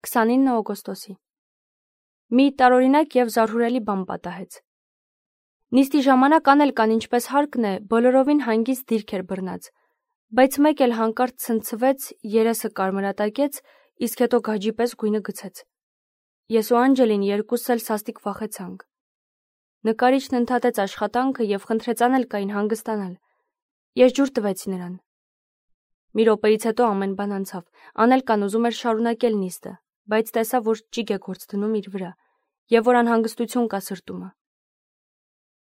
29 օգոստոսի։ Մի տարօրինակ և զարհուրելի բան պատահեց։ Նիստի ժամանակ Անելկան, ինչպես հարկն է, բոլորովին հանգիստ դիրք էր բռնած, բայց մեկ էլ հանկարծ ցնցվեց, երեսը կարմրատակեց, իսկ հետո գաջի պես գույնը գցեց։ Ես ու Անջելին երկուսս էլ սաստիկ վախեցանք։ Նկարիչն ընդհատեց աշխատանքը և խնդրեց Անելկային հանգստանալ։ Ես ջուր տվեցի նրան։ Մի րոպեից հետո ամեն բան անցավ։ Անելկան ուզում էր շարունակել նիստը, բայց տեսավ, որ ճիգ է գործ դնում իր վրա, և որ անհանգստություն կա սրտումը։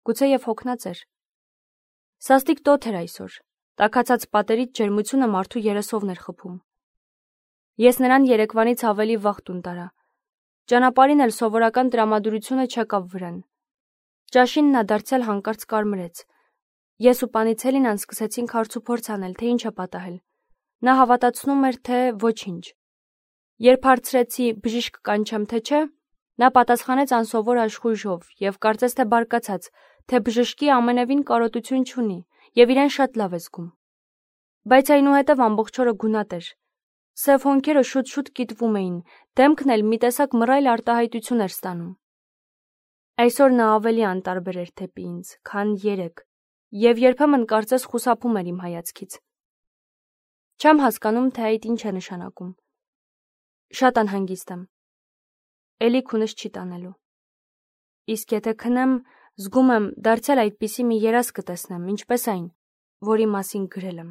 Գուցեև հոգնած էր։ Սաստիկ տոթ էր այսօր։ Տաքացած պատերից ջերմությունը մարդու երեսովն էր խփում։ Ես նրան երեկվանից ավելի վաղ տուն տարա։ Ճանապարհին էլ սովորական տրամադրությունը չեկավ վրան։ Ճաշին նա դարձյալ հանկարծ կարմրեց։ Ես ու Պանիցելինան սկսեցինք հարցուփորձ անել, թե ինչ է պատահել։ Նա հավատացնում էր, թե ոչինչ։ Երբ հարցրեցի բժիշկ կանչեմ, թե չէ, նա պատասխանեց անսովոր աշխույժով և կարծես թե բարկացած, թե բժշկի ամենևին կարոտություն չունի և իրեն շատ լավ է զգում։ Բայց այնուհետև ամբողջ օրը գունատ էր։ Սև հոնքերը շուտ-շուտ կիտվում էին, դեմքն էլ մի տեսակ մռայլ արտահայտություն էր ստանում։ Այսօր նա ավելի անտարբեր էր դեպի ինձ, քան երեկ, և երբեմն կարծես խուսափում էր իմ հայացքից։ Չեմ հասկանում, թե այդ ինչ է նշանակում։ Շատ անհանգիստ եմ։ Էլի քունս չի տանելու։ Իսկ եթե քնեմ, զգում եմ, դարձյալ այդպիսի մի երազ կտեսնեմ, ինչպես այն, որի մասին գրել եմ։